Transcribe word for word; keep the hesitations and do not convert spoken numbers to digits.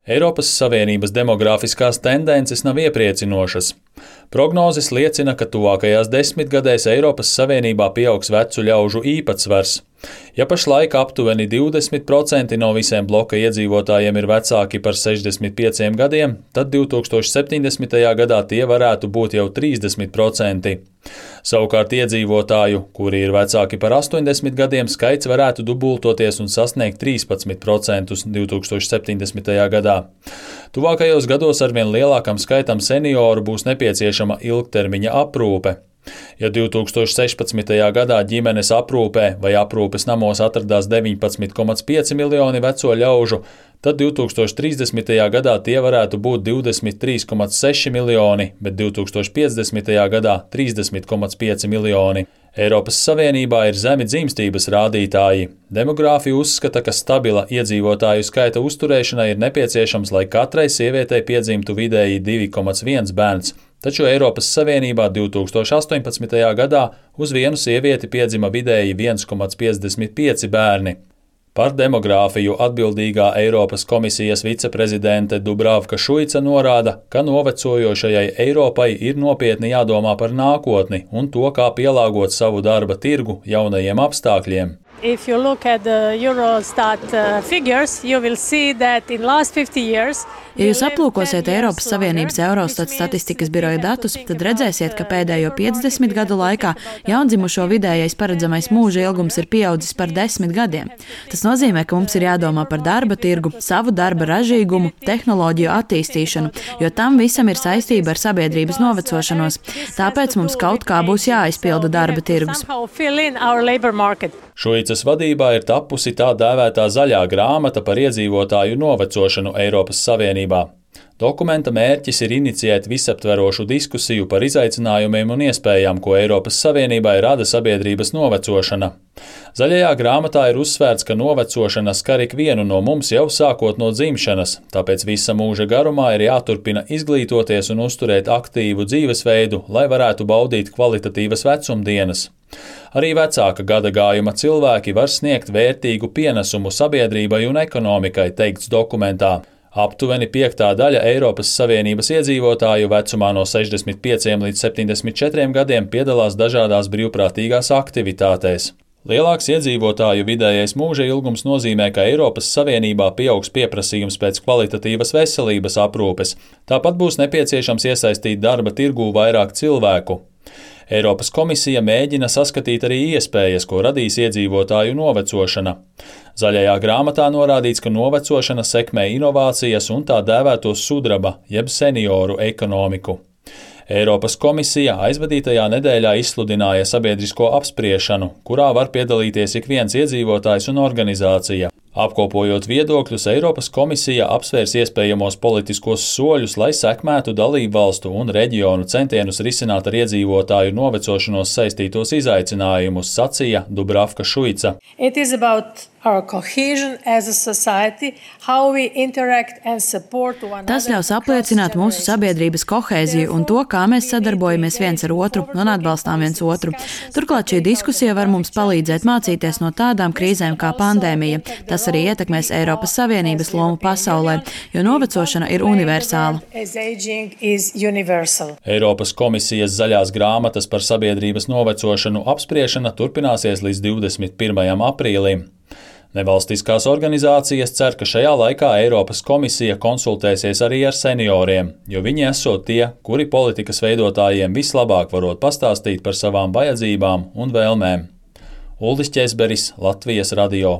Eiropas Savienības demogrāfiskās tendences nav iepriecinošas. Prognozes liecina, ka tuvākajās desmitgadēs Eiropas Savienībā pieaugs vecu ļaužu īpatsvars. Ja pašlaik aptuveni divdesmit procenti no visiem bloka iedzīvotājiem ir vecāki par sešdesmit pieciem gadiem, tad divtūkstoš septiņdesmitajā gadā tie varētu būt jau trīsdesmit procenti. Savukārt iedzīvotāju, kuri ir vecāki par astoņdesmit gadiem, skaits varētu dubultoties un sasniegt trīspadsmit procentus divtūkstoš septiņdesmitajā gadā. Tuvākajos gados arvien lielākam skaitam senioru būs nepieciešama ilgtermiņa aprūpe. Ja divtūkstoš sešpadsmitajā gadā ģimenes aprūpē vai aprūpes namos atradās deviņpadsmit komats pieci miljoni veco ļaužu, tad divtūkstoš trīsdesmitajā gadā tie varētu būt divdesmit trīs komats seši miljoni, bet divtūkstoš piecdesmitajā gadā trīsdesmit komats pieci miljoni. Eiropas Savienībā ir zemi dzimstības rādītāji. Demogrāfi uzskata, ka stabila iedzīvotāju skaita uzturēšana ir nepieciešams, lai katrai sievietei piedzimtu vidēji divi komats viens bērns, taču Eiropas Savienībā divtūkstoš astoņpadsmitajā gadā uz vienu sievieti piedzima vidēji viens komats piecdesmit pieci bērni. Par demogrāfiju atbildīgā Eiropas komisijas viceprezidente Dubravka Šuica norāda, ka novecojošajai Eiropai ir nopietni jādomā par nākotni un to, kā pielāgot savu darba tirgu jaunajiem apstākļiem. If you look at the Eurostat uh, figures, you will see that in last fifty years. Ja jūs aplūkosiet Eiropas Savienības Eurostat statistikas biroja datus, tad redzēsiet, ka pēdējo piecdesmit gadu laikā jaundzimušo vidējais paredzamais mūža ilgums ir pieaudzis par desmit gadiem. Tas nozīmē, ka mums ir jādomā par darba tirgu, savu darba ražīgumu, tehnoloģiju attīstīšanu, jo tam visam ir saistība ar sabiedrības novecošanos. Tāpēc mums kaut kā būs jāizpilda darba tirgus. Šuicas vadībā ir tapusi tā dēvētā zaļā grāmata par iedzīvotāju novecošanu Eiropas Savienībā. Dokumenta mērķis ir inicijēt visaptverošu diskusiju par izaicinājumiem un iespējām, ko Eiropas Savienībai rada sabiedrības novecošana. Zaļajā grāmatā ir uzsvērts, ka novecošana skar ikvienu no mums jau sākot no dzimšanas, tāpēc visa mūža garumā ir jāturpina izglītoties un uzturēt aktīvu dzīvesveidu, lai varētu baudīt kvalitatīvas vecumdienas. Arī vecāka gadagājuma cilvēki var sniegt vērtīgu pienesumu sabiedrībai un ekonomikai, teikts dokumentā. Aptuveni piektā daļa Eiropas Savienības iedzīvotāju vecumā no sešdesmit pieciem līdz septiņdesmit četriem gadiem piedalās dažādās brīvprātīgās aktivitātēs. Lielāks iedzīvotāju vidējais mūža ilgums nozīmē, ka Eiropas Savienībā pieaugs pieprasījums pēc kvalitatīvas veselības aprūpes. Tāpat būs nepieciešams iesaistīt darba tirgū vairāk cilvēku. Eiropas komisija mēģina saskatīt arī iespējas, ko radīs iedzīvotāju novecošana. Zaļajā grāmatā norādīts, ka novecošana sekmē inovācijas un tā dēvēto sudraba, jeb senioru ekonomiku. Eiropas komisija aizvadītajā nedēļā izsludināja sabiedrisko apspriešanu, kurā var piedalīties ik viens iedzīvotājs un organizācija. Apkopojot viedokļus, Eiropas komisija apsvērs iespējamos politiskos soļus, lai sekmētu dalību valstu un reģionu centienus risināt ar iedzīvotāju novecošanos saistītos izaicinājumus, sacīja Dubravka Šuica. Tas ļaus apliecināt mūsu sabiedrības kohēziju un to, kā mēs sadarbojamies viens ar otru un atbalstām viens otru. Turklāt šī diskusija var mums palīdzēt mācīties no tādām krīzēm kā pandēmija. Tas arī ietekmēs Eiropas Savienības lomu pasaulē, jo novecošana ir universāla. Eiropas komisijas zaļās grāmatas par sabiedrības novecošanu apspriešana turpināsies līdz divdesmit pirmajam aprīlim. Nevalstiskās organizācijas cer, ka šajā laikā Eiropas komisija konsultēsies arī ar senioriem, jo viņi esot tie, kuri politikas veidotājiem vislabāk varot pastāstīt par savām vajadzībām un vēlmēm. Uldis Ķesberis, Latvijas radio.